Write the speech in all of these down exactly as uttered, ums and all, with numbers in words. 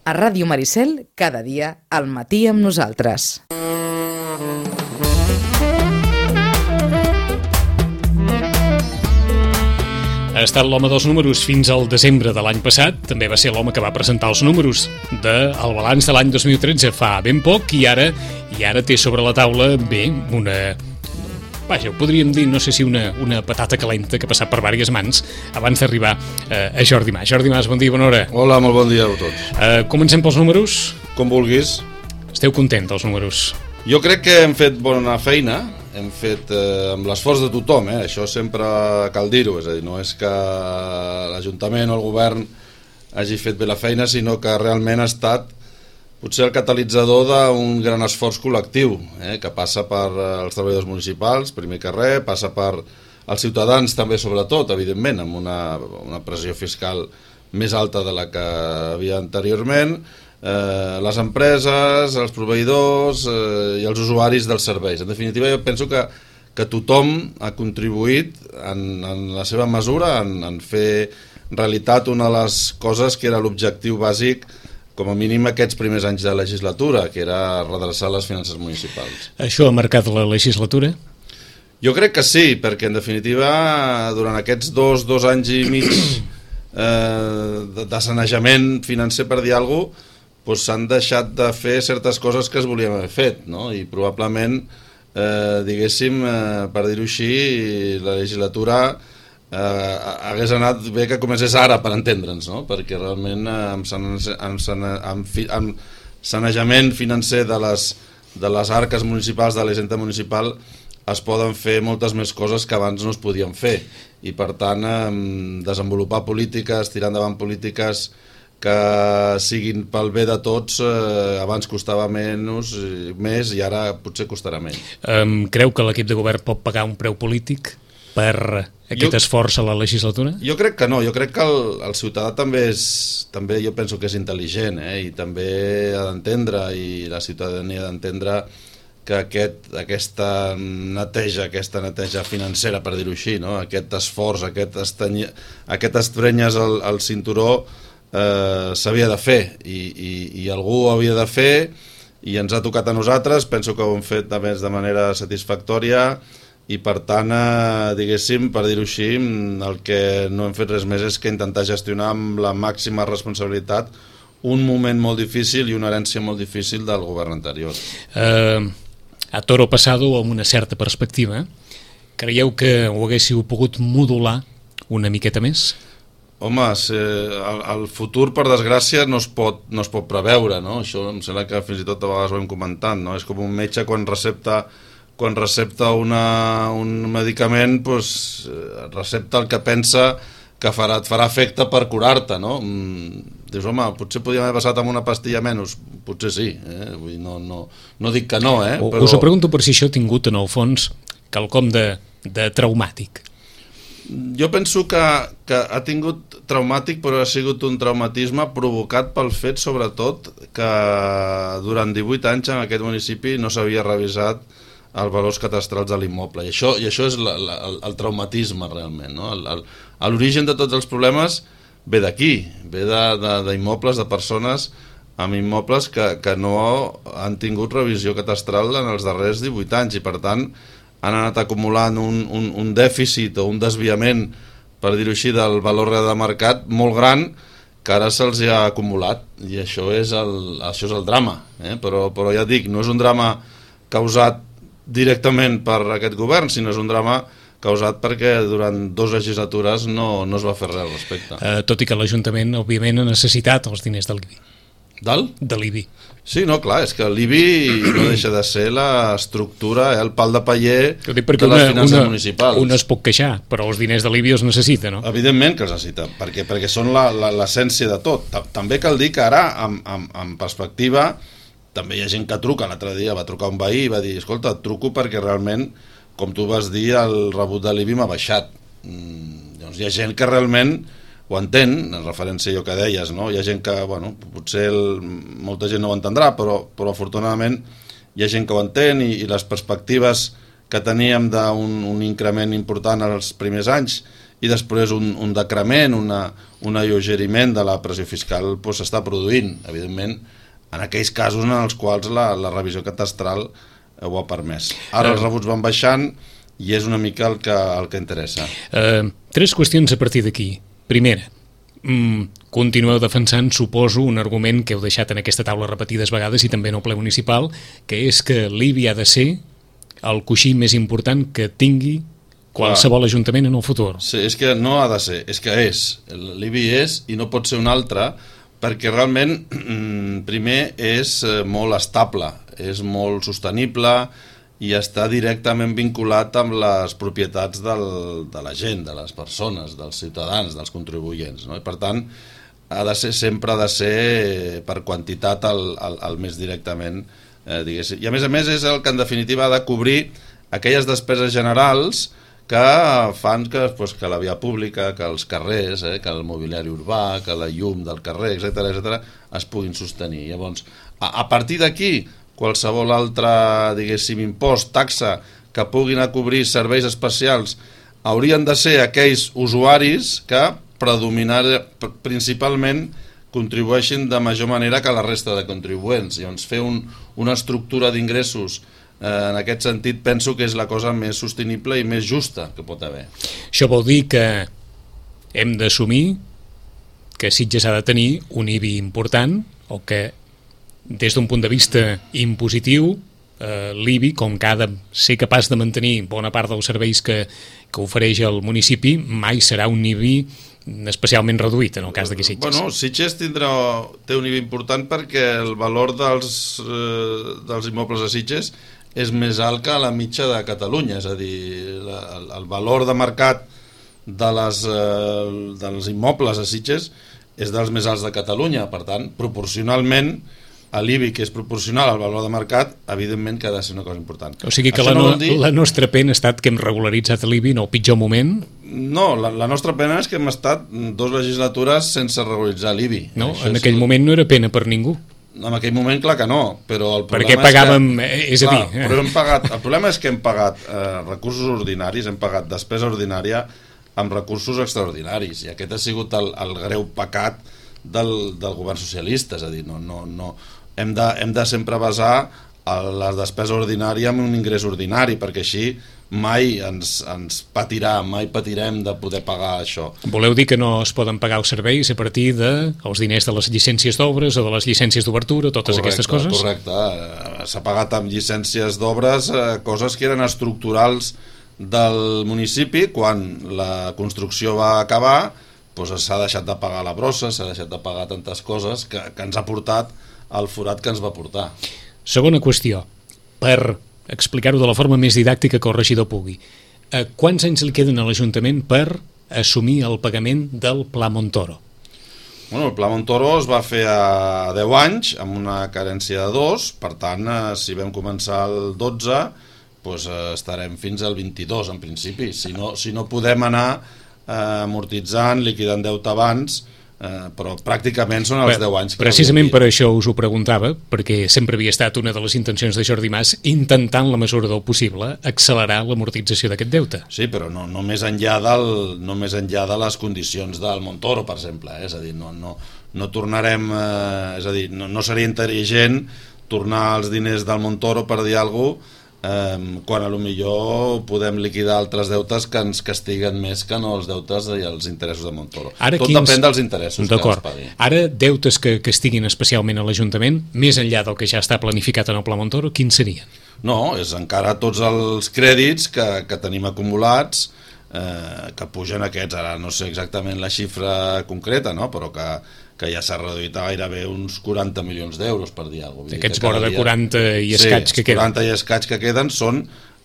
A Ràdio Maricel, cada dia, al matí amb nosaltres. Ha estat l'home dels números fins al desembre de l'any passat. També va ser l'home que va presentar els números del balanç de l'any dos mil tretze fa ben poc i ara i ara té sobre la taula, bé, una... Vaja, ho podríem dir, no sé si una, una patata calenta que ha passat per diverses mans abans d'arribar eh, a Jordi Mas. Jordi Mas, bon dia, bona hora. Hola, molt bon dia a tots. Eh, comencem pels números. Com vulguis. Esteu content dels números? Jo crec que hem fet bona feina, hem fet eh, amb l'esforç de tothom, eh? Això sempre cal dir-ho, és a dir, no és que l'Ajuntament o el govern hagi fet bé la feina, sinó que realment ha estat potser el catalitzador d'un gran esforç col·lectiu, eh? Que passa per els treballadors municipals, primer que res, passa per els ciutadans també sobretot, evidentment, amb una, una pressió fiscal més alta de la que havia anteriorment, Eh, les empreses, els proveïdors eh, i els usuaris dels serveis. En definitiva, jo penso que, que tothom ha contribuït en, en la seva mesura en, en fer realitat una de les coses que era l'objectiu bàsic, com a mínim aquests primers anys de legislatura, que era redreçar les finances municipals. Això ha marcat la legislatura? Jo crec que sí, perquè en definitiva durant aquests dos, dos anys i mig eh, de, de sanejament financer, per dir alguna cosa, doncs s'han deixat de fer certes coses que es volien haver fet, no? I probablement, eh, diguéssim, eh, per dir-ho així, la legislatura eh, hagués anat bé que comencés ara, per entendre'ns, no? Perquè realment eh, amb, sane, amb, sane, amb, fi, amb sanejament financer de les, de les arques municipals, de l'hisenda municipal, es poden fer moltes més coses que abans no es podien fer. I per tant, eh, desenvolupar polítiques, tirar endavant polítiques que siguin pel bé de tots, eh, abans costava menys, més i ara potser costarà menys. Um, creu que l'equip de govern pot pagar un preu polític per aquest jo, esforç a la legislatura? Jo crec que no, jo crec que el, el ciutadà també és, també jo penso que és intel·ligent, eh, i també ha d'entendre, i la ciutadania ha d'entendre que aquest, aquesta neteja, aquesta neteja financera, per dir-ho així, no? Aquest esforç, aquest, estany, aquest estrenyes al, al cinturó, Eh, s'havia de fer i, i, i algú ho havia de fer i ens ha tocat a nosaltres. Penso que ho hem fet també de manera satisfactòria i per tant, eh, diguéssim, per dir-ho així, el que no hem fet res més és que intentar gestionar amb la màxima responsabilitat un moment molt difícil i una herència molt difícil del govern anterior. Eh, a toro passado, amb una certa perspectiva, creieu que ho haguéssiu pogut modular una miqueta més? Home, el, el futur, per desgràcia, no es pot, no es pot preveure, no? Això em sembla que fins i tot a vegades ho hem comentat, no? És com un metge quan recepta, quan recepta una, un medicament, doncs, recepta el que pensa que farà, et farà efecte per curar-te, no? Dius, home, potser podríem haver passat amb una pastilla menys, potser sí, eh? Vull dir, no, no, no dic que no, eh? Però... Us ho pregunto per si això ha tingut, en el fons, quelcom de, de traumàtic. Jo penso que, que ha tingut traumàtic, però ha sigut un traumatisme provocat pel fet, sobretot, que durant divuit anys en aquest municipi no s'havia revisat els valors catastrals de l'immoble. I això, i això és la, la, el, el traumatisme, realment, no? El, el, l'origen de tots els problemes ve d'aquí, ve d'immobles, de, de persones amb immobles que, que no han tingut revisió catastral en els darrers divuit anys i, per tant, han anat acumulant un, un, un dèficit o un desviament, per dir-ho així, del valor real de mercat molt gran que ara se'ls ha acumulat i això és el, això és el drama, eh? però, però ja dic, no és un drama causat directament per aquest govern, sinó és un drama causat perquè durant dues legislatures no, no es va fer res al respecte. Uh, tot i que l'Ajuntament, òbviament, ha necessitat els diners de l'I B I. Del? De l'I B I. Sí, no, clar, és que l'I B I no deixa de ser l'estructura, eh, el pal de paller de les una, finances una, municipals. Un es pot queixar, però els diners de l'I B I els necessita, no? Evidentment que els necessita, perquè, perquè són l'essència de tot. També cal dir que ara, amb, amb, amb perspectiva, també hi ha gent que truca. L'altre dia va trucar un veí i va dir, escolta, et truco perquè realment, com tu vas dir, el rebut de l'I B I m'ha baixat. Mm, doncs hi ha gent que realment ho entén, en referència a allò que deies, no? Hi ha gent que, bueno, potser el, molta gent no ho entendrà, però, però afortunadament hi ha gent que ho entén i, i les perspectives que teníem d'un un increment important als primers anys i després un, un decrement, una, un alleugeriment de la pressió fiscal pues, s'està produint, evidentment, en aquells casos en els quals la, la revisió catastral ho ha permès. Ara els rebuts van baixant i és una mica el que, el que interessa. Uh, tres qüestions a partir d'aquí. Primera, mm, continueu defensant, suposo, un argument que heu deixat en aquesta taula repetides vegades i també en el ple municipal, que és que l'I B I ha de ser el coixí més important que tingui qualsevol Clar. Ajuntament en el futur. Sí, és que no ha de ser, és que és. L'I B I és i no pot ser un altre perquè realment, primer, és molt estable, és molt sostenible i està directament vinculat amb les propietats del, de la gent, de les persones, dels ciutadans, dels contribuents. No? I per tant, ha de ser, sempre ha de ser per quantitat el, el, el més directament, eh, diguéssim. I a més a més és el que en definitiva ha de cobrir aquelles despeses generals que fan que, pues, que la via pública, que els carrers, eh, que el mobiliari urbà, que la llum del carrer, etcètera, etcètera, es puguin sostenir. Llavors, a, a partir d'aquí, qualsevol altre, diguéssim, impost, taxa, que puguin a cobrir serveis especials, haurien de ser aquells usuaris que predominar, principalment contribueixin de major manera que la resta de contribuents. Llavors, fer un, una estructura d'ingressos en aquest sentit penso que és la cosa més sostenible i més justa que pot haver. Això vol dir que hem d'assumir que Sitges ha de tenir un I B I important o que des d'un punt de vista impositiu eh, l'I B I, com que ha de ser capaç de mantenir bona part dels serveis que, que ofereix el municipi, mai serà un I B I especialment reduït en el cas d'aquí Sitges. Bueno, Sitges tindrà, té un I B I important perquè el valor dels, eh, dels immobles a Sitges és més alt que la mitja de Catalunya, és a dir, la, el, el valor de mercat de les, eh, dels immobles a Sitges és dels més alts de Catalunya, per tant, proporcionalment a l'I B I, que és proporcional al valor de mercat, evidentment que ha de ser una cosa important. O sigui que la, no, no dir... la nostra pena ha estat que hem regularitzat l'I B I en el pitjor moment? No, la, la nostra pena és que hem estat dos legislatures sense regularitzar l'I B I. No, Això en aquell és... moment no era pena per ningú. En aquell moment, clar que no, però el problema Perquè pagàvem, és que, és a clar, dir... Eh? Però hem pagat, el problema és que hem pagat eh, recursos ordinaris, hem pagat despesa ordinària amb recursos extraordinaris, i aquest ha sigut el, el greu pecat del, del govern socialista, és a dir, no, no, no, hem, de, hem de sempre basar la despesa ordinària en un ingrés ordinari, perquè així mai ens, ens patirà, mai patirem de poder pagar això. Voleu dir que no es poden pagar els serveis a partir dels de diners de les llicències d'obres o de les llicències d'obertura, totes correcte, aquestes coses? Correcte, s'ha pagat amb llicències d'obres eh, coses que eren estructurals del municipi. Quan la construcció va acabar, doncs s'ha deixat de pagar la brossa, s'ha deixat de pagar tantes coses que, que ens ha portat al forat que ens va portar. Segona qüestió, per explicar-ho de la forma més didàctica que el regidor pugui. Eh, quants anys li queden a l'Ajuntament per assumir el pagament del Pla Montoro? Bueno, el Pla Montoro es va fer a deu anys, amb una carència de dos, per tant, eh, si vam començar el dotze, doncs, eh, estarem fins al vint-i-dos, en principi. Si no, si no podem anar eh, amortitzant, liquidant deute abans, Uh, però pràcticament són els Bé, deu anys que precisament per això us ho preguntava, perquè sempre havia estat una de les intencions de Jordi Mas intentar en la mesura del possible accelerar l'amortització d'aquest deute. Sí, però no, no, més enllà del, no més enllà de les condicions del Montoro, per exemple, eh? És a dir, no, no, no tornarem eh, és a dir, no, no seria intel·ligent tornar els diners del Montoro, per dir alguna cosa, Eh, quan a lo millor podem liquidar altres deutes que ens castiguen més que no els deutes i els interessos de Montoro. Ara Tot quins... depèn dels interessos que es pagui. Ara, deutes que castiguin especialment a l'Ajuntament, més enllà del que ja està planificat en el Pla Montoro, quins serien? No, és encara tots els crèdits que, que tenim acumulats, eh, que pugen aquests, ara no sé exactament la xifra concreta, no? Però que que ja s'ha reduït a gairebé uns quaranta milions d'euros, per dir alguna cosa. Aquests vora de quaranta i escaig sí, que queden. quaranta i escaig que queden són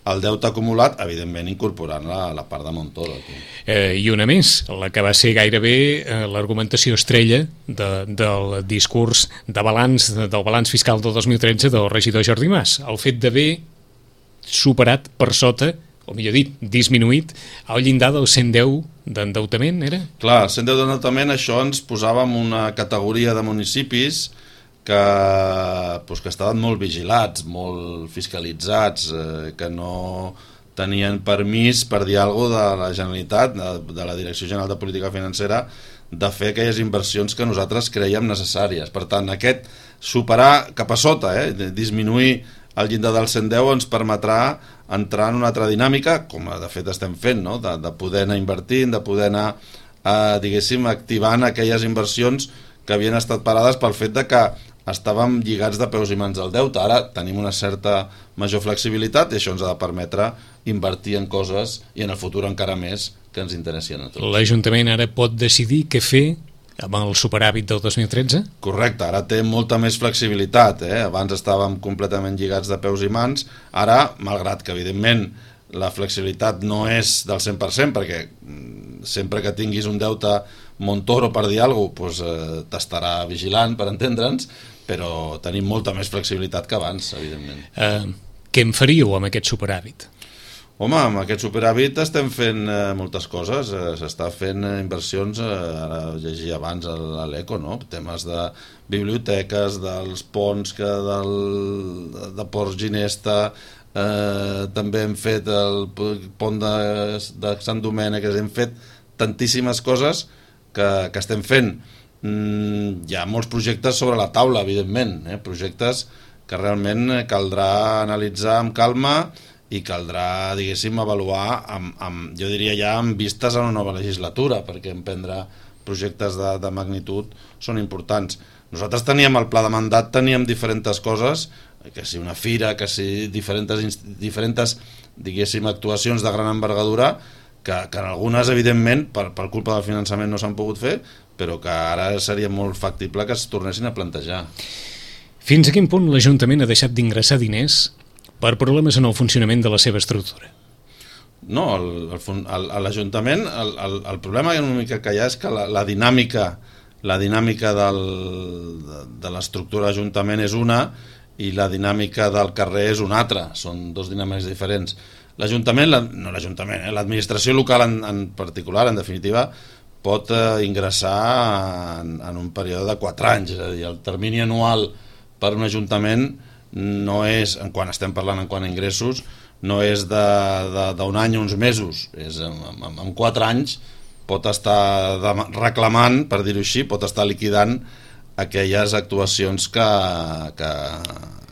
el deute acumulat, evidentment incorporant la, la part de Montoro. Eh, I una més, la que va ser gairebé eh, l'argumentació estrella de, del discurs de balanç, del balanç fiscal del dos mil tretze del regidor Jordi Mas, el fet d'haver superat per sota, o millor dit, disminuït el llindar del cent deu d'endeutament, era? Clar, el cent deu d'endeutament, això ens posava en una categoria de municipis que, doncs, que estaven molt vigilats, molt fiscalitzats, eh, que no tenien permís per dir alguna cosa de la Generalitat, de, de la Direcció General de Política Financera, de fer aquelles inversions que nosaltres creiem necessàries. Per tant, aquest superar cap a sota, eh, disminuir el llindar del cent deu ens permetrà entrar en una altra dinàmica, com de fet estem fent, no? de, de poder anar invertint, de poder anar, eh, diguéssim, activant aquelles inversions que havien estat parades pel fet de que estàvem lligats de peus i mans al deute. Ara tenim una certa major flexibilitat i això ens ha de permetre invertir en coses i en el futur encara més que ens interessin a tots. L'Ajuntament ara pot decidir què fer amb el superàvit del dos mil tretze? Correcte, ara té molta més flexibilitat, eh? Abans estàvem completament lligats de peus i mans, ara, malgrat que evidentment la flexibilitat no és del cent per cent, perquè sempre que tinguis un deute Montoro per dir alguna cosa, doncs, eh, t'estarà vigilant, per entendre'ns, però tenim molta més flexibilitat que abans, evidentment. Eh, què en faríeu amb aquest superàvit? Home, amb aquest superàvit estem fent eh, moltes coses, eh, s'està fent eh, inversions, eh, ara llegia abans a l'Eco, no? Temes de biblioteques, dels ponts, que del, de Ports Ginesta, eh, també hem fet el pont de, de Sant Domènec, hem fet tantíssimes coses que, que estem fent. Mm, hi ha molts projectes sobre la taula, evidentment, eh? projectes que realment caldrà analitzar amb calma i caldrà, diguéssim, avaluar amb, amb, jo diria ja amb vistes a una nova legislatura, perquè emprendre projectes de, de magnitud són importants. Nosaltres teníem el pla de mandat, teníem diferents coses, que si una fira, que si diferents, diferents diguéssim, actuacions de gran envergadura, que, que en algunes, evidentment, per, per culpa del finançament no s'han pogut fer, però que ara seria molt factible que es tornessin a plantejar. Fins a quin punt l'Ajuntament ha deixat d'ingressar diners per problemes en el funcionament de la seva estructura? No, l'Ajuntament, el, el, el problema una mica que hi ha és que la, la dinàmica, la dinàmica del, de, de l'estructura d'Ajuntament és una i la dinàmica del carrer és una altra, són dos dinàmiques diferents. L'Ajuntament, la, no l'Ajuntament, eh, l'administració local en, en particular, en definitiva, pot eh, ingressar en, en un període de quatre anys, és a dir, el termini anual per un Ajuntament no és, en quan estem parlant en quant a ingressos, no és d'un any o uns mesos, és en, en, en quatre anys pot estar de, reclamant, per dir-ho així, pot estar liquidant aquelles actuacions que, que,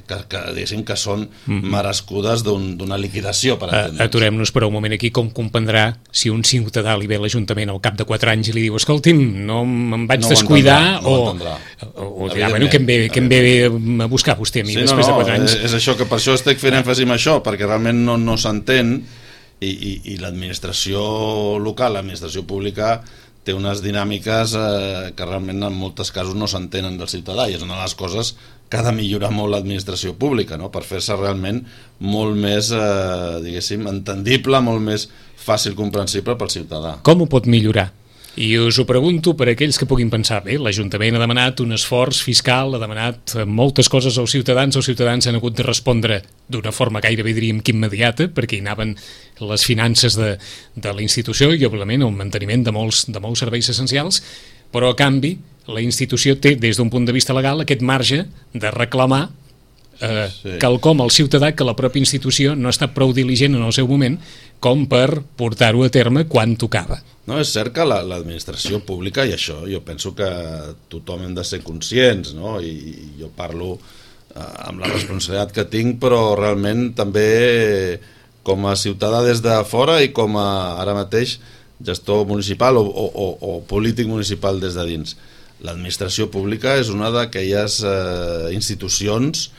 que, que, diguéssim, que són merescudes d'una un, liquidació, per entendre'ns. Aturem-nos per un moment aquí. Com comprendrà si un ciutadà li ve a l'Ajuntament al cap de quatre anys i li diu, escolti'm, no me'n vaig no descuidar, no o, o, o dirà, bueno, que em ve, que em ve a buscar vostè a mi sí, després no, no, de quatre anys. És, és això, que per això estic fent èmfasi en això, perquè realment no, no s'entén i, i, i l'administració local, l'administració pública té unes dinàmiques eh, que realment en molts casos no s'entenen del ciutadà, i és una de les coses que ha de millorar molt l'administració pública, no? Per fer-se realment molt més, eh, diguéssim, entendible, molt més fàcil comprensible pel ciutadà. Com ho pot millorar? I us ho pregunto per aquells que puguin pensar, bé, l'Ajuntament ha demanat un esforç fiscal, ha demanat moltes coses als ciutadans, els ciutadans han hagut de respondre d'una forma gairebé, diríem, que immediata, perquè hi anaven les finances de, de la institució i, òbviament, el manteniment de molts, de molts serveis essencials, però, a canvi, la institució té, des d'un punt de vista legal, aquest marge de reclamar eh, sí. quelcom al ciutadà que la pròpia institució no ha estat prou diligent en el seu moment com per portar-ho a terme quan tocava. No, és cert que l'administració pública, i això jo penso que tothom hem de ser conscients, no? I, i jo parlo eh, amb la responsabilitat que tinc, però realment també com a ciutadà des de fora i com a ara mateix gestor municipal o, o, o, o polític municipal des de dins. L'administració pública és una d'aquelles eh, institucions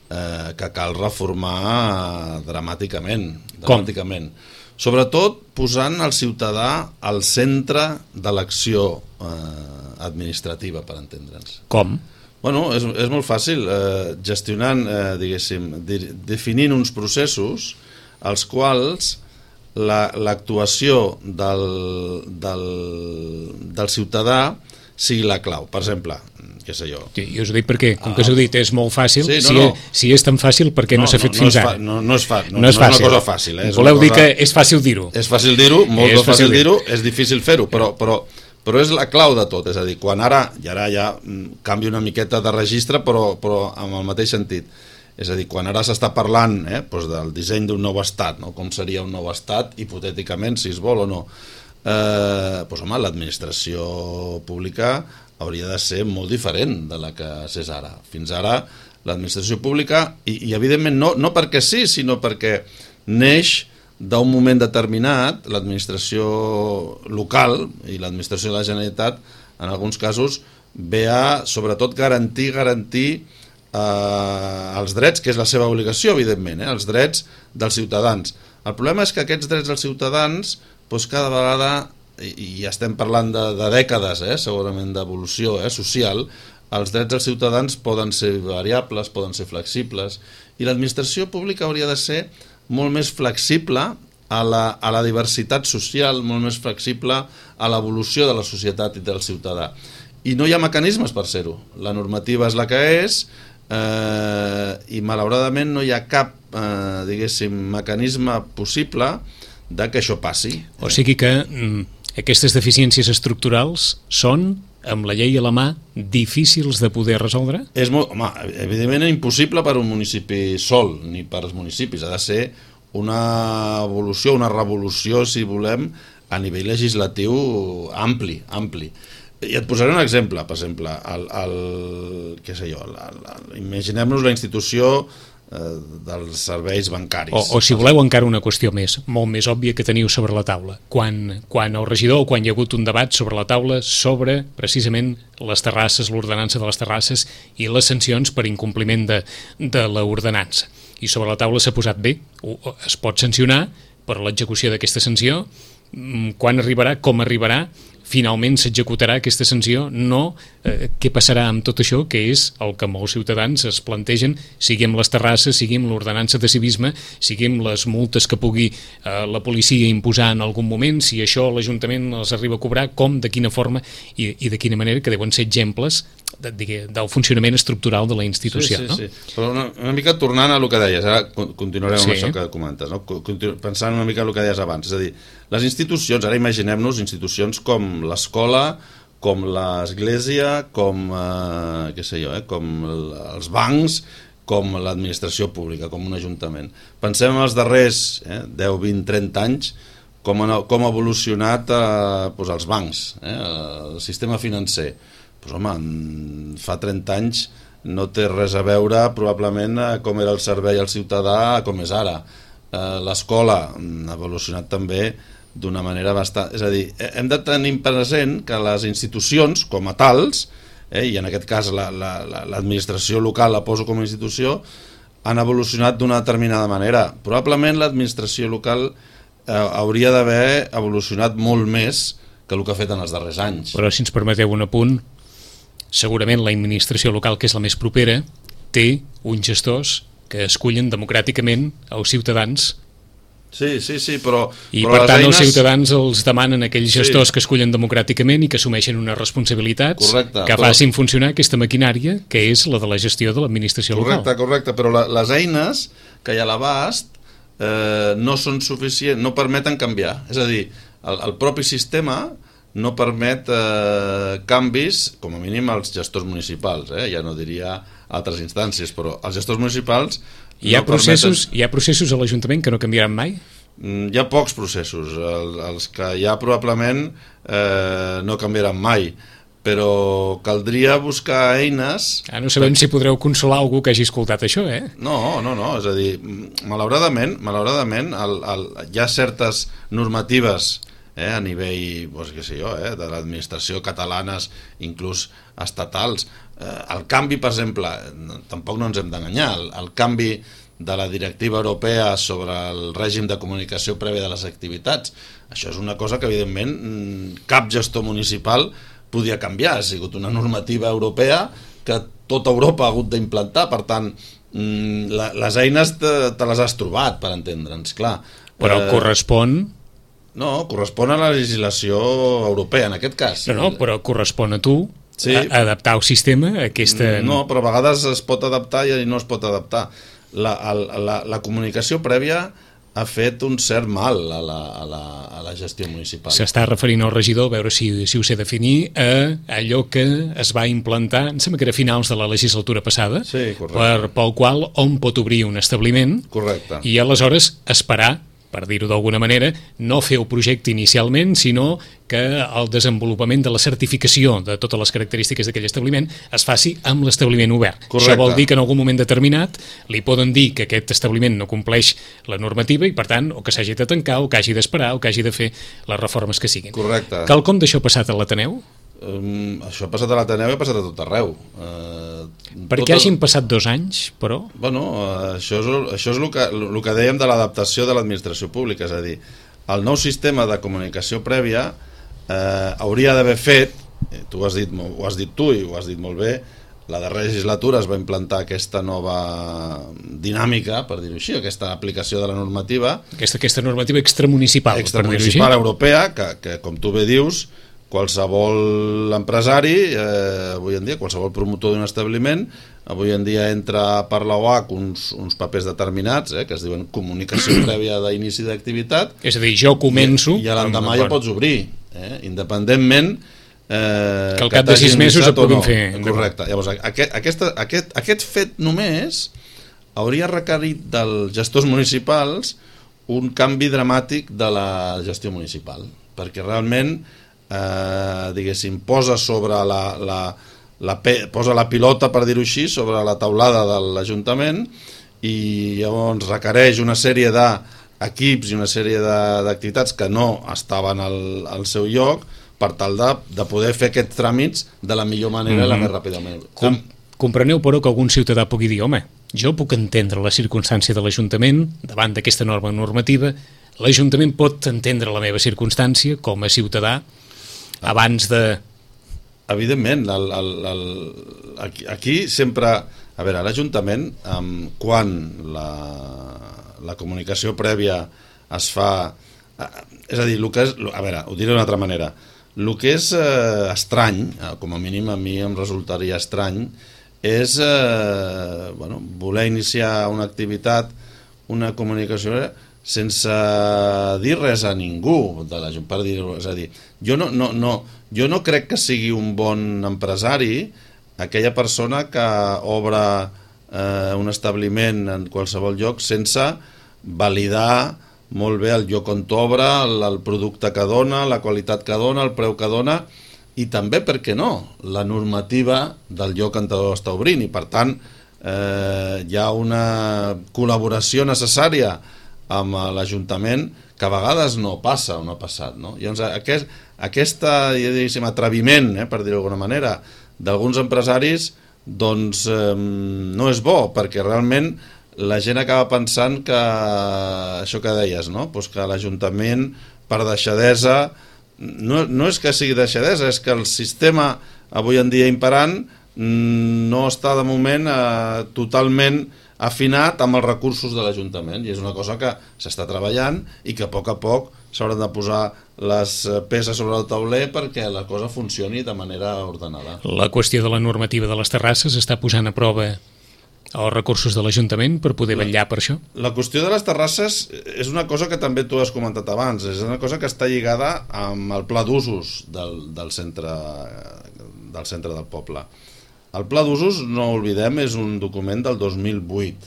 eh, que cal reformar dramàticament. dramàticament. Com? Sobretot posant el ciutadà al centre de l'acció eh, administrativa, per entendre'ns. Com? Bueno, és, és molt fàcil, eh, gestionant, eh, diguéssim, de, definint uns processos als quals l'actuació la, del, del, del ciutadà sigui la clau. Per exemple, què sé jo. Sí, jo us ho dic perquè, com que us ho dit, és molt fàcil, sí, no, si, no. si és tan fàcil, per què no, no s'ha fet no, fins no ara? Fa, no, no, és fa, no, no és fàcil. No és una cosa fàcil. Eh? És Voleu dir cosa... que és fàcil dir-ho? És fàcil dir-ho, molt és fàcil dir-ho, és difícil fer-ho, però, però, però és la clau de tot. És a dir, quan ara, i ara ja canvia una miqueta de registre, però, però amb el mateix sentit. És a dir, quan ara s'està parlant eh, doncs del disseny d'un nou estat, no? Com seria un nou estat, hipotèticament, si es vol o no, eh, doncs, home, l'administració pública hauria de ser molt diferent de la que s'és ara. Fins ara, l'administració pública, i, i evidentment no, no perquè sí, sinó perquè neix d'un moment determinat, l'administració local i l'administració de la Generalitat, en alguns casos, ve a, sobretot, garantir, garantir eh, els drets, que és la seva obligació, evidentment, eh, els drets dels ciutadans. El problema és que aquests drets dels ciutadans, doncs cada vegada, i, i estem parlant de, de dècades, eh, segurament d'evolució eh, social, els drets dels ciutadans poden ser variables, poden ser flexibles, i l'administració pública hauria de ser molt més flexible a la, a la diversitat social, molt més flexible a l'evolució de la societat i del ciutadà. I no hi ha mecanismes per ser-ho. La normativa és la que és eh, i malauradament no hi ha cap eh, diguéssim, mecanisme possible de que això passi. O sigui que mm, aquestes deficiències estructurals són, amb la llei a la mà, difícils de poder resoldre? És molt, home, evidentment impossible per un municipi sol, ni per als municipis. Ha de ser una evolució, una revolució, si volem, a nivell legislatiu ampli, ampli. I et posaré un exemple, per exemple, el, el, què sé jo, la, la, imaginem-nos la institució eh, dels serveis bancaris. O, o si voleu encara una qüestió més, molt més òbvia que teniu sobre la taula. Quan, quan el regidor o quan hi ha hagut un debat sobre la taula sobre precisament les terrasses, l'ordenança de les terrasses i les sancions per incompliment de, de l'ordenança. I sobre la taula s'ha posat bé, es pot sancionar per l'execució d'aquesta sanció, quan arribarà, com arribarà, finalment s'executarà aquesta sanció, no eh, què passarà amb tot això, que és el que molts ciutadans es plantegen, sigui amb les terrasses, sigui amb l'ordenança de civisme, sigui amb les multes que pugui eh, la policia imposar en algun moment, si això l'Ajuntament els arriba a cobrar, com, de quina forma i, i de quina manera, que deuen ser exemples de, de, del funcionament estructural de la institució. Sí, sí, no? sí. Però una, una mica tornant a el que deies, ara continuarem sí. amb això que comentes, no? Continu pensant una mica en el que deies abans, és a dir, les institucions, ara imaginem-nos institucions com l'escola, com l'església, com, eh, què sé jo, eh, com els bancs, com l'administració pública, com un ajuntament. Pensem en els darrers eh, deu, vint, trenta anys, com, han, com ha evolucionat eh, doncs els bancs, eh, el sistema financer. Pues, home, fa trenta anys no té res a veure probablement com era el servei al ciutadà com és ara. Eh, l'escola ha evolucionat també d'una manera bastant... És a dir, hem de tenir present que les institucions com a tals, eh, i en aquest cas l'administració la, la, local la poso com a institució, han evolucionat d'una determinada manera. Probablement l'administració local eh, hauria d'haver evolucionat molt més que el que ha fet en els darrers anys. Però si ens permeteu un apunt, segurament l'administració local, que és la més propera, té uns gestors que escullen democràticament els ciutadans. Sí, sí, sí, però... I però per tant eines... els ciutadans els demanen aquells gestors sí. que escullen democràticament i que assumeixen unes responsabilitats correcte, que però... facin funcionar aquesta maquinària que és la de la gestió de l'administració local. Correcte, correcte, però la, les eines que hi ha a l'abast eh, no són suficients, no permeten canviar. És a dir, el, el propi sistema no permet eh, canvis, com a mínim als gestors municipals, eh? Ja no diria altres instàncies, però els gestors municipals hi ha, no processos, permeten... hi ha processos a l'Ajuntament que no canviaran mai? Hi ha pocs processos, el, els que hi ha probablement eh, no canviaran mai, però caldria buscar eines... Ah, no sabem per... si podreu consolar algú que hagi escoltat això, eh? No, no, no, és a dir, malauradament, malauradament el, el, hi ha certes normatives eh, a nivell, doncs, què sé jo, eh, de l'administració catalanes, inclús estatals. Eh, el canvi, per exemple, tampoc no ens hem d'enganyar, el, el canvi de la directiva europea sobre el règim de comunicació prèvia de les activitats, això és una cosa que, evidentment, cap gestor municipal podia canviar. Ha sigut una normativa europea que tota Europa ha hagut d'implantar, per tant, les eines te, te les has trobat, per entendre'ns, clar. Però eh, correspon... No, correspon a la legislació europea, en aquest cas. No, no, però correspon a tu sí. a, a adaptar el sistema a aquesta... No, però a vegades es pot adaptar i no es pot adaptar. La, la, la comunicació prèvia ha fet un cert mal a la, a la, a la gestió municipal. S'està referint al regidor, a veure si, si ho sé definir, a allò que es va implantar, em sembla que era a finals de la legislatura passada, sí, per, pel qual hom pot obrir un establiment correcte. I aleshores esperar, per dir-ho d'alguna manera, no fer el projecte inicialment, sinó que el desenvolupament de la certificació de totes les característiques d'aquell establiment es faci amb l'establiment obert. Correcte. Això vol dir que en algun moment determinat li poden dir que aquest establiment no compleix la normativa i, per tant, o que s'hagi de tancar, o que hagi d'esperar, o que hagi de fer les reformes que siguin. Correcte. Quelcom d'això passat a l'Ateneu? Um, això ha passat a l'Ateneu i ha passat a tot arreu. Uh, Perquè hagin el... passat dos anys, però... Bueno, uh, això és, això és el, que, el que dèiem de l'adaptació de l'administració pública, és a dir, el nou sistema de comunicació prèvia eh, hauria d'haver fet, tu has dit, ho has dit tu i ho has dit molt bé, la darrera legislatura es va implantar aquesta nova dinàmica, per dir-ho així, aquesta aplicació de la normativa. Aquesta, aquesta normativa extramunicipal, extramunicipal europea, que, que com tu bé dius, qualsevol empresari, eh, avui en dia, qualsevol promotor d'un establiment, avui en dia entra per la O A C uns, uns papers determinats, eh, que es diuen comunicació prèvia d'inici d'activitat. És a dir, jo començo... I, i a l'endemà ja pots obrir, eh, independentment... Eh, que al cap de sis mesos et puguin no. fer. Correcte. Llavors, aquest, aquesta, aquest, aquest fet només hauria requerit dels gestors municipals un canvi dramàtic de la gestió municipal, perquè realment... Eh, diguéssim, posa sobre la, la, la, posa la pilota, per dir-ho així, sobre la taulada de l'Ajuntament i llavors requereix una sèrie d'equips i una sèrie d'activitats que no estaven al, al seu lloc per tal de, de poder fer aquests tràmits de la millor manera i mm-hmm. la més ràpidament. Com, compreneu, però, que algun ciutadà pugui dir, home, jo puc entendre la circumstància de l'Ajuntament davant d'aquesta norma normativa, l'Ajuntament pot entendre la meva circumstància com a ciutadà abans de... Evidentment, el, el, el, aquí, aquí sempre... A veure, l'Ajuntament, um, quan la, la comunicació prèvia es fa... Uh, és a dir, el que és, a veure, ho diré d'una altra manera. El que és uh, estrany, uh, com a mínim a mi em resultaria estrany, és uh, bueno, voler iniciar una activitat, una comunicació... sense dir res a ningú de la, per dir-ho, és a dir, jo no, no, no, jo no crec que sigui un bon empresari aquella persona que obre eh, un establiment en qualsevol lloc sense validar molt bé el lloc on t'obre, el, el producte que dona, la qualitat que dona, el preu que dona i també, per què no, la normativa del lloc on t'està obrint i per tant eh, hi ha una col·laboració necessària amb l'Ajuntament que a vegades no passa o no ha passat, no? Llavors, aquest, aquesta, diguéssim, atreviment, eh, per dir-ho d'alguna manera, d'alguns empresaris, doncs eh, no és bo, perquè realment la gent acaba pensant que això que deies, no? Pues que l'Ajuntament, per deixadesa, no, no és que sigui deixadesa, és que el sistema avui en dia imperant no està de moment eh, totalment afinat amb els recursos de l'Ajuntament i és una cosa que s'està treballant i que a poc a poc s'hauran de posar les peces sobre el tauler perquè la cosa funcioni de manera ordenada. La qüestió de la normativa de les terrasses està posant a prova els recursos de l'Ajuntament per poder vetllar per això? La qüestió de les terrasses és una cosa que també tu has comentat abans, és una cosa que està lligada amb el pla d'usos del, del, centre, del centre del poble. El pla d'usos, no oblidem, és un document del dos mil vuit.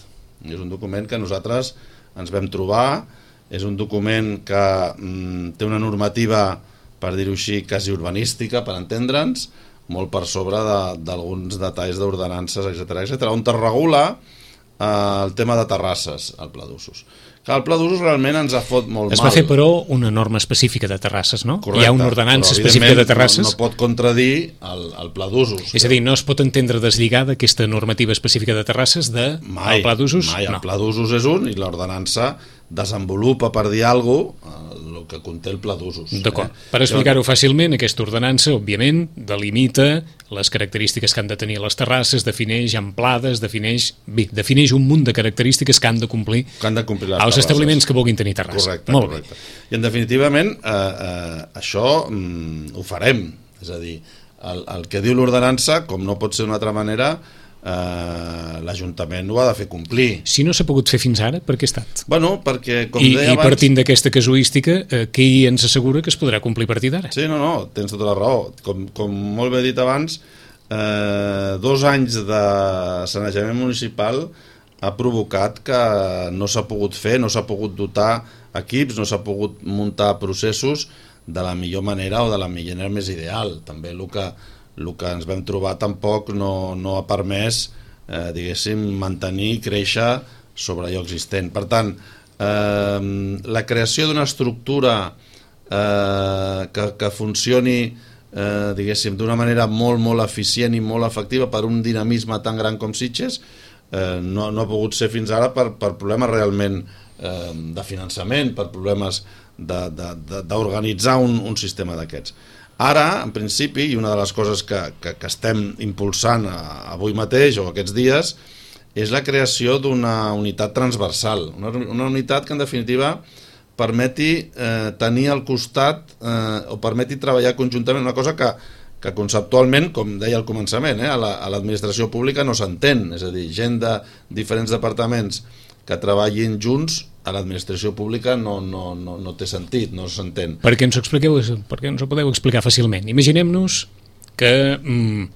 És un document que nosaltres ens vam trobar, és un document que mm, té una normativa, per dir-ho així, quasi urbanística, per entendre'ns, molt per sobre d'alguns de, detalls d'ordenances, etcètera, etcètera, on es regula eh, el tema de terrasses, el pla d'usos. Que el pla d'usos realment ens ha fot molt mal. Es va fer, però, una norma específica de terrasses, no? Correcte, hi ha una ordenança específica de terrasses. No, no pot contradir el, el pla d'usos. És a dir, no es pot entendre deslligada aquesta normativa específica de terrasses del de pla d'usos? Mai, no. El pla d'usos és un i l'ordenança desenvolupa, per dir alguna cosa, el que conté el pla d'usos. D'acord. Eh? Per explicar-ho fàcilment, aquesta ordenança, òbviament, delimita les característiques que han de tenir les terrasses, defineix amplades, defineix, bé, defineix un munt de característiques que han de complir, que han de complir les els terrasses. Establiments que vulguin tenir terrassa. Correcte, Molt correcte. Bé. I en definitivament eh, eh, això mm, ho farem. És a dir, el, el que diu l'ordenança, com no pot ser d'una altra manera, eh, l'Ajuntament ho ha de fer complir. Si no s'ha pogut fer fins ara, per què ha estat? Bueno, perquè, com I, deia i abans... partint d'aquesta casuística, eh, qui ens assegura que es podrà complir a partir d'ara? Sí, no, no, tens tota la raó. Com, com molt bé dit abans, eh, dos anys de sanejament municipal ha provocat que no s'ha pogut fer, no s'ha pogut dotar equips, no s'ha pogut muntar processos de la millor manera o de la manera més ideal. També el que, el que ens vam trobar tampoc no, no ha permès, eh, diguéssim, mantenir i créixer sobre allò existent. Per tant, eh, la creació d'una estructura eh, que, que funcioni eh, diguéssim, d'una manera molt, molt eficient i molt efectiva per un dinamisme tan gran com Sitges, Eh, no, no ha pogut ser fins ara per, per problemes realment eh, de finançament, per problemes d'organitzar un, un sistema d'aquests. Ara, en principi, i una de les coses que, que, que estem impulsant avui mateix o aquests dies, és la creació d'una unitat transversal, una, una unitat que en definitiva permeti eh, tenir al costat eh, o permeti treballar conjuntament, una cosa que que conceptualment, com deia al començament, eh, a l'administració pública no s'entén, és a dir, gent de diferents departaments que treballin junts a l'administració pública no, no, no, no té sentit, no s'entén. Per què ens ho expliqueu, per què ens ho podeu explicar fàcilment? Imaginem-nos que, mm,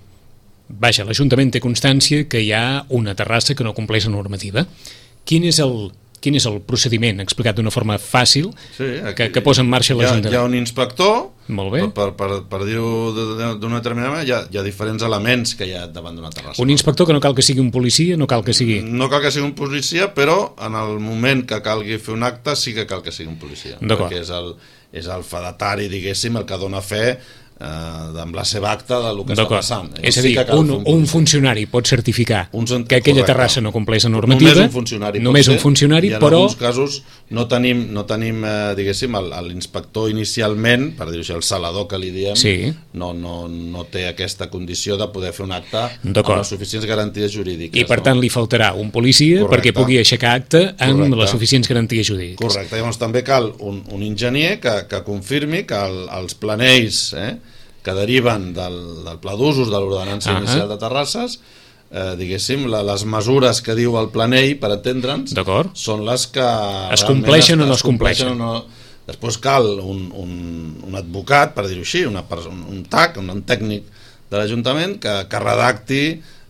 vaja, l'Ajuntament té constància que hi ha una terrassa que no compleix la normativa. Quin és el... Quin és el procediment, explicat d'una forma fàcil, sí, que, que posa en marxa l'Ajuntament? Hi ha un inspector, molt bé. per, per, per dir-ho d'una determinada manera, hi ha, hi ha diferents elements que hi ha davant d'una terrassa. Un inspector que no cal que sigui un policia, no cal que sigui... No cal que sigui un policia, però en el moment que calgui fer un acte sí que cal que sigui un policia. Perquè és el, és el fedatari, diguéssim, el que dona fe eh, amb la seva acta del que està passant. És a dir, sí un, un, un funcionari pot certificar un cent... que aquella correcte. Terrassa no compleix la normativa, només un funcionari, només un funcionari i en però... alguns casos no tenim, no tenim eh, diguéssim, l'inspector inicialment, per dir-ho així, el salador que li diem, sí. no, no, no té aquesta condició de poder fer un acte amb les suficients garanties jurídiques. I per no? tant li faltarà un policia correcte. Perquè pugui aixecar acte amb correcte. Les suficients garanties jurídiques. Correcte, llavors també cal un, un enginyer que, que confirmi que el, els planells eh, que deriven del, del pla d'usos de l'ordenança uh-huh. inicial de terrasses, eh, diguéssim, la, les mesures que diu el planell, per entendre'ns, són les que es compleixen o no es compleixen. O no... Després cal un, un, un advocat, per dir-ho així, una persona, un T A C, un, un tècnic de l'Ajuntament que, que redacti,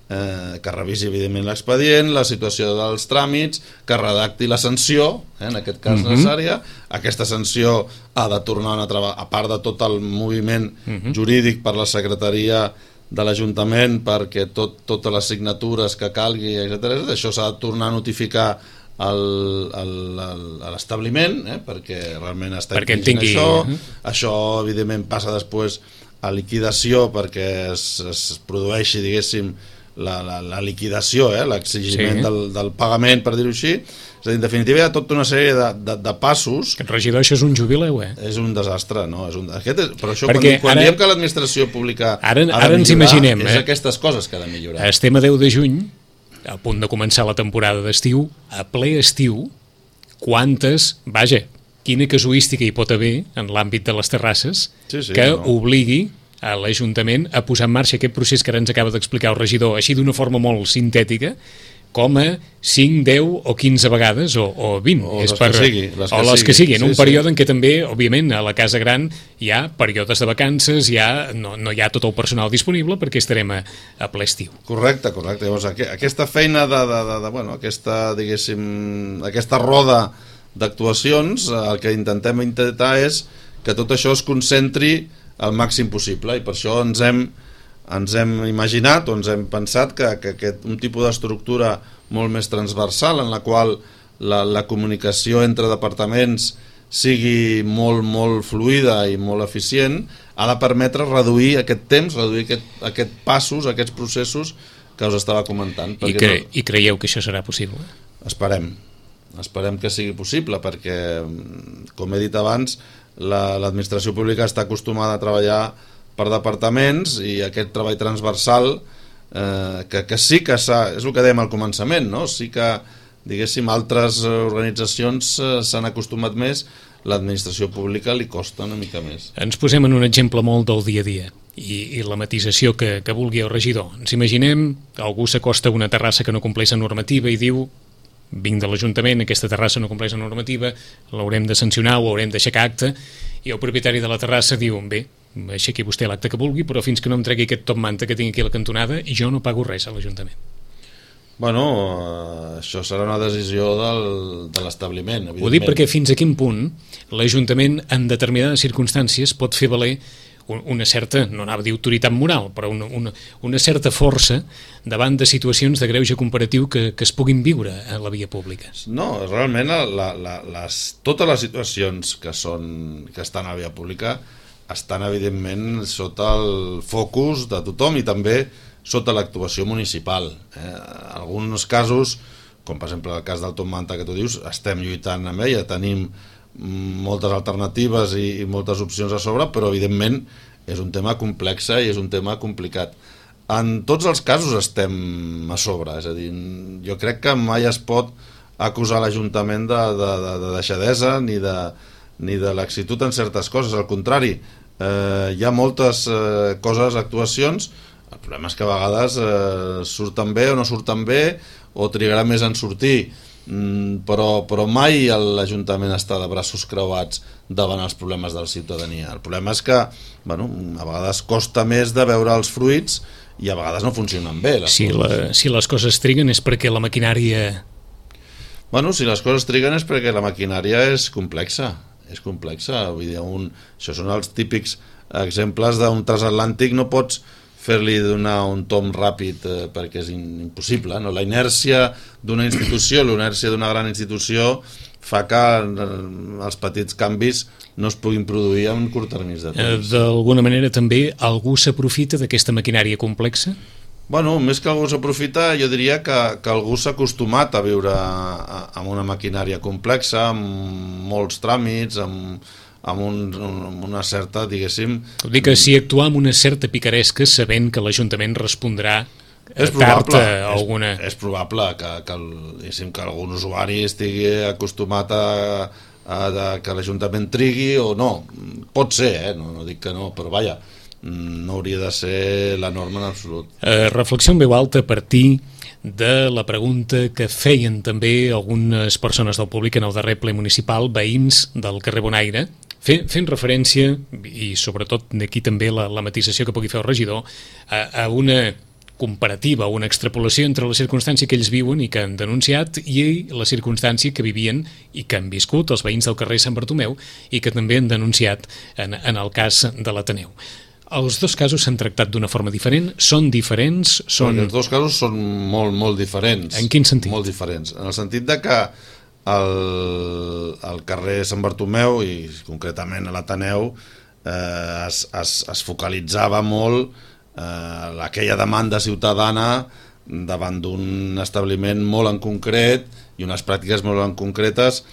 eh, que revisi evidentment l'expedient, la situació dels tràmits, que redacti la sanció, eh, en aquest cas uh-huh. necessària. Aquesta sanció ha de tornar a treballar, a part de tot el moviment uh-huh. jurídic per la secretaria de l'Ajuntament, perquè tot, totes les signatures que calgui, etcètera, això s'ha de tornar a notificar al, al, al, a l'establiment, eh, perquè realment està perquè tingui... això. Uh-huh. Això, evidentment, passa després a liquidació perquè es, es produeixi, diguéssim, la, la, la liquidació, eh, l'exigiment sí. del, del pagament, per dir-ho així. És a dir, en definitiva, hi ha tota una sèrie de, de, de passos... Aquest regidor, això és un jubileu, eh? És un desastre, no? És un... Aquest és... Per això, perquè quan, quan ara... diem que l'administració pública ara, ha de ara ens millorar, imaginem, és eh? aquestes coses que ha de millorar. Estem a deu de juny, a punt de començar la temporada d'estiu, a ple estiu, quantes... Vaja, quina casuística hi pot haver en l'àmbit de les terrasses sí, sí, que no. obligui a l'Ajuntament a posar en marxa aquest procés que ara ens acaba d'explicar el regidor, així d'una forma molt sintètica, com a cinc, deu o quinze vegades, o, o vint, o és les per, que sigui, les o que les que sigui. siguin, sí, un sí. període en què també, òbviament, a la Casa Gran hi ha períodes de vacances, hi ha, no, no hi ha tot el personal disponible perquè estarem a, a ple estiu. Correcte, correcte. Llavors, aquesta feina de, de, de, de bueno, aquesta, diguéssim, aquesta roda d'actuacions, el que intentem intentar és que tot això es concentri al màxim possible, i per això ens hem, ens hem imaginat o ens hem pensat que, que aquest, un tipus d'estructura molt més transversal en la qual la, la comunicació entre departaments sigui molt, molt fluida i molt eficient, ha de permetre reduir aquest temps, reduir aquest, aquest passos, aquests processos que us estava comentant. I, cre no... I creieu que això serà possible? Esperem. Esperem que sigui possible, perquè, com he dit abans, l'administració la, pública està acostumada a treballar per departaments, i aquest treball transversal eh, que, que sí que s'ha, és el que dèiem al començament, no? Sí que, diguéssim, altres organitzacions eh, s'han acostumat més, l'administració pública li costa una mica més. Ens posem en un exemple molt del dia a dia. i, i la matisació que, que vulgui el regidor. Ens imaginem que algú s'acosta a una terrassa que no compleix la normativa i diu: vinc de l'Ajuntament, aquesta terrassa no compleix la normativa, l'haurem de sancionar o haurem d'aixecar acte, i el propietari de la terrassa diu: bé, aixequi vostè l'acte que vulgui, però fins que no em tregui aquest top manta que tinc aquí a la cantonada, jo no pago res a l'Ajuntament. Bueno, això serà una decisió del, de l'establiment. Ho dic perquè fins a quin punt l'Ajuntament en determinades circumstàncies pot fer valer una certa, no anava a dir autoritat moral, però una, una, una certa força davant de situacions de greuge comparatiu que, que es puguin viure a la via pública. No, realment la, la, les, totes les situacions que, són, que estan a la via pública estan evidentment sota el focus de tothom i també sota l'actuació municipal. Eh? En alguns casos, com per exemple el cas del Top Manta que tu dius, estem lluitant amb ella, tenim moltes alternatives i, i moltes opcions a sobre, però evidentment és un tema complex i és un tema complicat. En tots els casos estem a sobre, és a dir, jo crec que mai es pot acusar l'Ajuntament de, de, de, de deixadesa ni de, ni de laxitud en certes coses, al contrari, eh, hi ha moltes eh, coses, actuacions. El problema és que a vegades eh, surten bé o no surten bé o trigarà més en sortir, mm, però, però mai l'Ajuntament està de braços creuats davant els problemes de la ciutadania. El problema és que bueno, a vegades costa més de veure els fruits i a vegades no funcionen bé. Les si, la, si les coses triguen és perquè la maquinària... Bueno, si les coses triguen és perquè la maquinària és complexa, és complexa. Vull dir, un, això són els típics exemples d'un transatlàntic, no pots fer-li donar un tom ràpid eh, perquè és impossible, no? La inèrcia d'una institució, la inèrcia d'una gran institució fa que eh, els petits canvis no es puguin produir en curt termini de temps. D'alguna manera també algú s'aprofita d'aquesta maquinària complexa? Bueno, més que algú s'aprofita, jo diria que, que algú s'ha acostumat a viure amb una maquinària complexa, amb molts tràmits, amb amb, un, amb una certa, diguéssim... Vull dir que si actuar amb una certa picaresca sabent que l'Ajuntament respondrà és probable, tard a alguna... És, és probable que, que, el, que algun usuari estigui acostumat a, a, a que l'Ajuntament trigui o no. Pot ser, eh? no, no dic que no, però vaja, no hauria de ser la norma en absolut. Eh, reflexió en veu alta a partir de la pregunta que feien també algunes persones del públic en el darrer ple municipal, veïns del carrer Bonaire, fent referència, i sobretot d'aquí també la, la matisació que pugui fer el regidor, a, a una comparativa, una extrapolació entre la circumstància que ells viuen i que han denunciat i la circumstància que vivien i que han viscut els veïns del carrer Sant Bartomeu i que també han denunciat en, en el cas de l'Ateneu. Els dos casos s'han tractat d'una forma diferent? Són diferents? Són... Els dos casos són molt, molt diferents. En quin sentit? Molt diferents. En el sentit de que al, al carrer Sant Bartomeu i concretament a l'Ateneu eh, es, es, es focalitzava molt eh, aquella demanda ciutadana davant d'un establiment molt en concret i unes pràctiques molt en concretes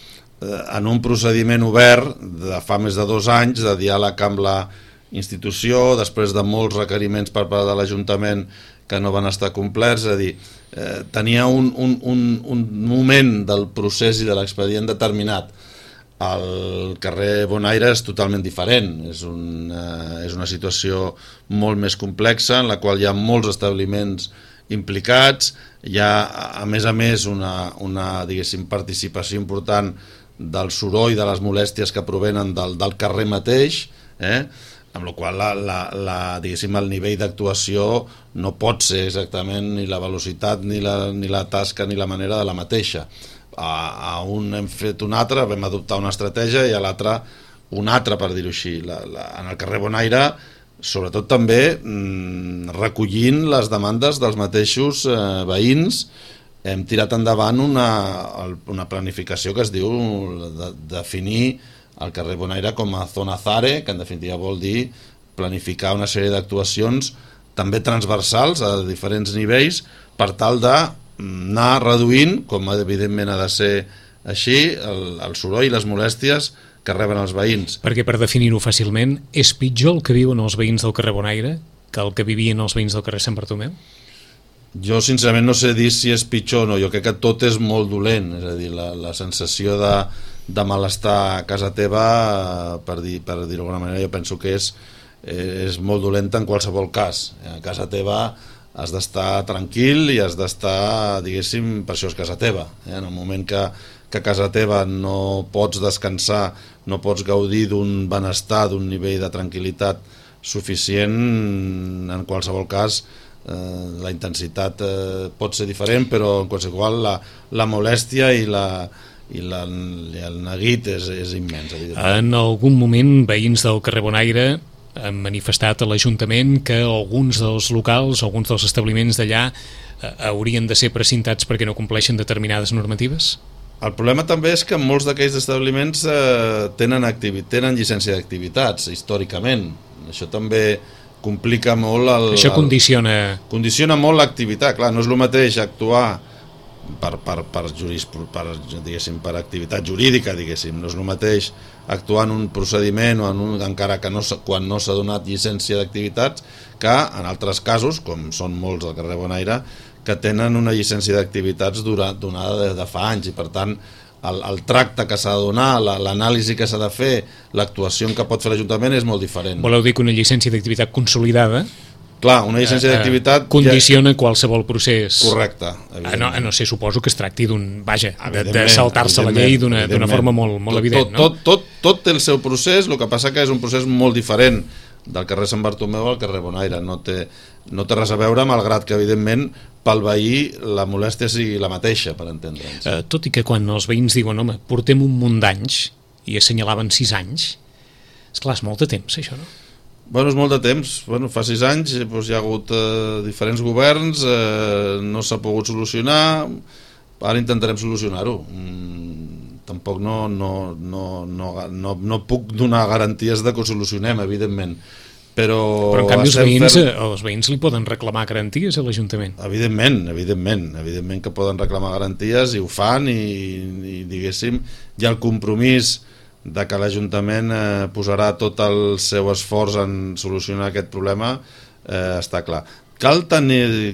eh, en un procediment obert de fa més de dos anys de diàleg amb la institució, després de molts requeriments per part de l'Ajuntament que no van estar complerts, és a dir, eh, tenia un, un, un, un moment del procés i de l'expedient determinat. El carrer Bonaire és totalment diferent, és una, és una situació molt més complexa en la qual hi ha molts establiments implicats, hi ha a més a més una, una diguéssim, participació important del soroll, de les molèsties que provenen del, del carrer mateix, eh? amb la qual la, la, la, diguéssim, el nivell d'actuació no pot ser exactament ni la velocitat ni la, ni la tasca ni la manera de la mateixa. A, a un hem fet un altre, vam adoptar una estratègia i a l'altre una altra, per dir-ho així. La, la, en el carrer Bonaire, sobretot també mmm, recollint les demandes dels mateixos eh, veïns, hem tirat endavant una, una planificació que es diu de, definir el carrer Bonaire com a zona ZARE, que en definitiva vol dir planificar una sèrie d'actuacions també transversals a diferents nivells per tal d'anar reduint, com evidentment ha de ser així, el, el soroll i les molèsties que reben els veïns. Perquè, per definir-ho fàcilment, és pitjor el que viuen els veïns del carrer Bonaire que el que vivien els veïns del carrer Sant Bartomeu? Jo sincerament no sé dir si és pitjor o no, jo crec que tot és molt dolent, és a dir, la, la sensació de, de malestar a casa teva, per dir, per dir d'alguna manera, jo penso que és, és molt dolenta en qualsevol cas. A casa teva has d'estar tranquil i has d'estar, diguéssim, per això és casa teva. Eh? En el moment que, que a casa teva no pots descansar, no pots gaudir d'un benestar, d'un nivell de tranquil·litat suficient, en qualsevol cas eh, la intensitat eh, pot ser diferent, però en qualsevol la, la molèstia i, la, i, la, i el neguit és, és immens. En algun moment veïns del carrer Bonaire han manifestat a l'Ajuntament que alguns dels locals, alguns dels establiments d'allà eh, haurien de ser precintats perquè no compleixen determinades normatives? El problema també és que molts d'aquells establiments eh, tenen, tenen llicència d'activitats, històricament. Això també complica molt... El, Això condiciona... El, condiciona molt l'activitat. Clar, no és el mateix actuar per, per, per, juris, per, diguéssim, per activitat jurídica, diguéssim. No és el mateix actuar en un procediment o en un, encara que no, quan no s'ha donat llicència d'activitats, que en altres casos, com són molts del carrer Bonaire, que tenen una llicència d'activitats donada de, de fa anys, i per tant el, el tracte que s'ha de donar, l'anàlisi que s'ha de fer, l'actuació que pot fer l'Ajuntament és molt diferent. Voleu dir que una llicència d'activitat consolidada... Clar, una llicència eh, d'activitat... Condiciona ja... qualsevol procés. Correcte. A no, a no ser, suposo que es tracti d'un... Vaja, de, de saltar-se la llei d'una forma molt, molt tot, evident, tot, no? Tot, tot, tot té el seu procés, el que passa que és un procés molt diferent del carrer Sant Bartomeu al carrer Bonaire. No té, no té res a veure, malgrat que, evidentment, pel veí la molèstia sigui la mateixa, per entendre'ns. Eh, tot i que quan els veïns diuen, home, portem un munt d'anys, i assenyalaven sis anys, esclar, és molt de temps, això, no? Bueno, és molt de temps. Bueno, fa sis anys doncs, hi ha hagut eh, diferents governs, eh, no s'ha pogut solucionar, ara intentarem solucionar-ho. Mm, tampoc no, no, no, no, no, no puc donar garanties de que ho solucionem, evidentment. Però, però en canvi els veïns, fer... els veïns li poden reclamar garanties a l'Ajuntament. Evidentment, evidentment, evidentment que poden reclamar garanties i ho fan, i, i diguéssim, hi ha el compromís de que l'Ajuntament eh, posarà tot el seu esforç en solucionar aquest problema, eh, està clar. Cal tenir,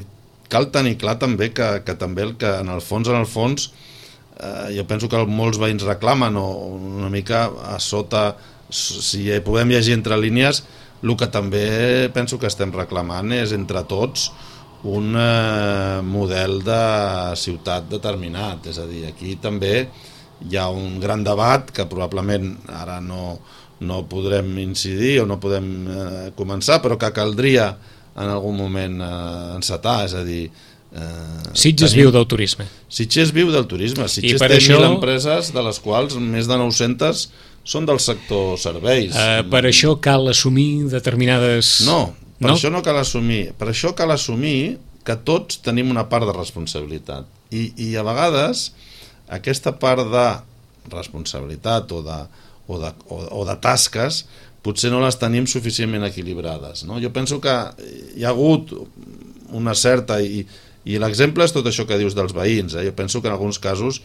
cal tenir clar també que, que també el que en el fons, en el fons, eh, jo penso que molts veïns reclamen, o una mica a sota, si podem llegir entre línies, el que també penso que estem reclamant és entre tots un eh, model de ciutat determinat. És a dir, aquí també hi ha un gran debat que probablement ara no, no podrem incidir o no podem eh, començar, però que caldria en algun moment eh, encetar, és a dir... Eh, Sitges tenim... viu del turisme. Sitges viu del turisme. Sitges té això... mil empreses, de les quals més de nou-centes són del sector serveis. Eh, per això cal assumir determinades... No, per no? això no cal assumir. Per això cal assumir que tots tenim una part de responsabilitat. I, i a vegades... aquesta part de responsabilitat o de, o, de, o, o de tasques potser no les tenim suficientment equilibrades, no? Jo penso que hi ha hagut una certa, i, i l'exemple és tot això que dius dels veïns, eh? Jo penso que en alguns casos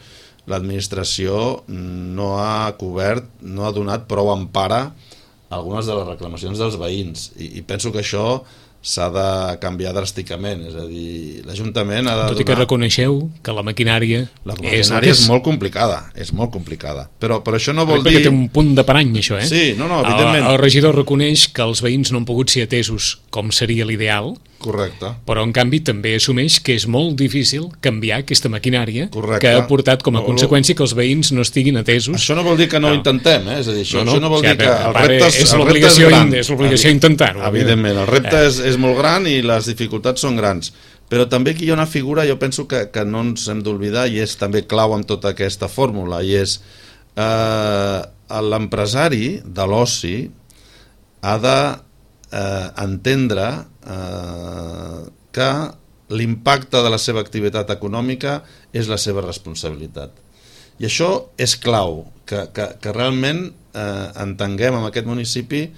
l'administració no ha cobert, no ha donat prou empara a algunes de les reclamacions dels veïns, i, i penso que això s'ha de canviar dràsticament, és a dir, l'Ajuntament ha de donar... Tot i que reconeixeu que la maquinària... La maquinària és, és molt complicada, és molt complicada, però, però això no vol dir... Perquè té un punt de parany, això, eh? Sí, no, no, evidentment. El, el regidor reconeix que els veïns no han pogut ser atesos com seria l'ideal, correcte, però en canvi també assumeix que és molt difícil canviar aquesta maquinària, correcte, que ha portat com a no, conseqüència que els veïns no estiguin atesos. Això no vol dir que no, no. intentem, eh? És a dir, això no, no, això no vol o sigui, dir que el repte és, és l'obligació és l'obligació intentar-ho. Evidentment, el repte eh. és, és molt gran i les dificultats són grans, però també aquí hi ha una figura, jo penso que, que no ens hem d'oblidar, i és també clau en tota aquesta fórmula, i és eh, l'empresari de l'oci ha de eh, entendre eh, que l'impacte de la seva activitat econòmica és la seva responsabilitat. I això és clau, que, que, que realment eh, entenguem en aquest municipi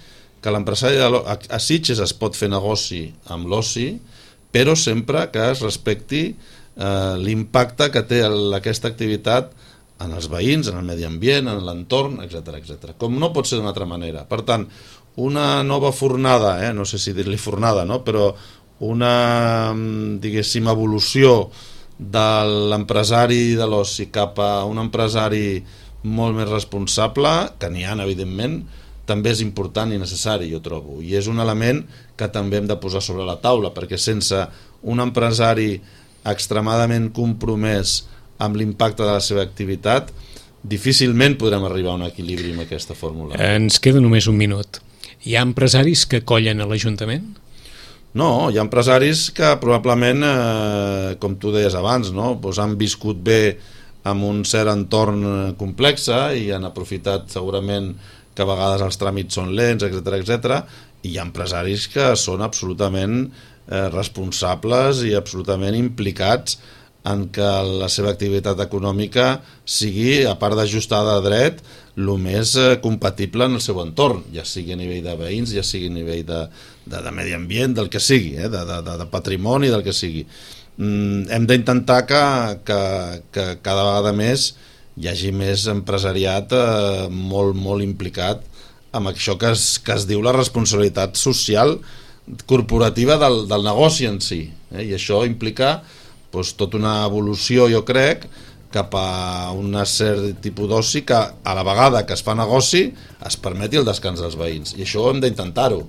que l'empresari a, a Sitges es pot fer negoci amb l'oci, però sempre que es respecti eh, l'impacte que té aquesta activitat en els veïns, en el medi ambient, en l'entorn, etcètera, etcètera. Com no pot ser d'una altra manera. Per tant, una nova fornada, eh, no sé si dir-li fornada, no? Però una, diguéssim, evolució de l'empresari de l'oci cap a un empresari molt més responsable, que n'hi ha, evidentment, també és important i necessari, jo trobo, i és un element que també hem de posar sobre la taula, perquè sense un empresari extremadament compromès amb l'impacte de la seva activitat, difícilment podrem arribar a un equilibri amb aquesta fórmula. Ens queda només un minut. Hi ha empresaris que collen a l'Ajuntament? No, hi ha empresaris que probablement, eh, com tu deies abans, no? Pues han viscut bé amb un cert entorn complex i han aprofitat segurament que a vegades els tràmits són lents, etcètera, etcètera, i hi ha empresaris que són absolutament eh, responsables i absolutament implicats en que la seva activitat econòmica sigui, a part d'ajustada a dret, el més eh, compatible en el seu entorn, ja sigui a nivell de veïns, ja sigui a nivell de, de, de medi ambient, del que sigui, eh, de, de, de patrimoni, del que sigui. Mm, hem d'intentar que, que, que cada vegada més hi hagi més empresariat eh, molt, molt implicat amb això que es, que es diu la responsabilitat social corporativa del, del negoci en si. Eh? I això implica doncs, tota una evolució, jo crec, cap a un cert tipus d'oci que a la vegada que es fa negoci es permeti el descans dels veïns. I això hem d'intentar-ho.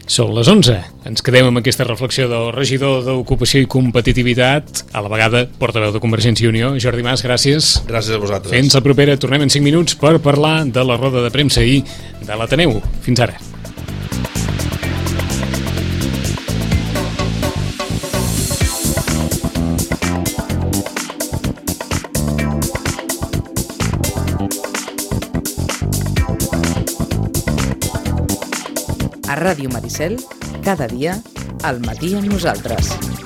Són les onze. Ens quedem amb aquesta reflexió del regidor d'Ocupació i Competitivitat, a la vegada portaveu de Convergència i Unió. Jordi Mas, gràcies. Gràcies a vosaltres. Fins la propera. Tornem en cinc minuts per parlar de la roda de premsa i de l'Ateneu. Fins ara. A Ràdio Maricel, cada dia, al matí amb nosaltres.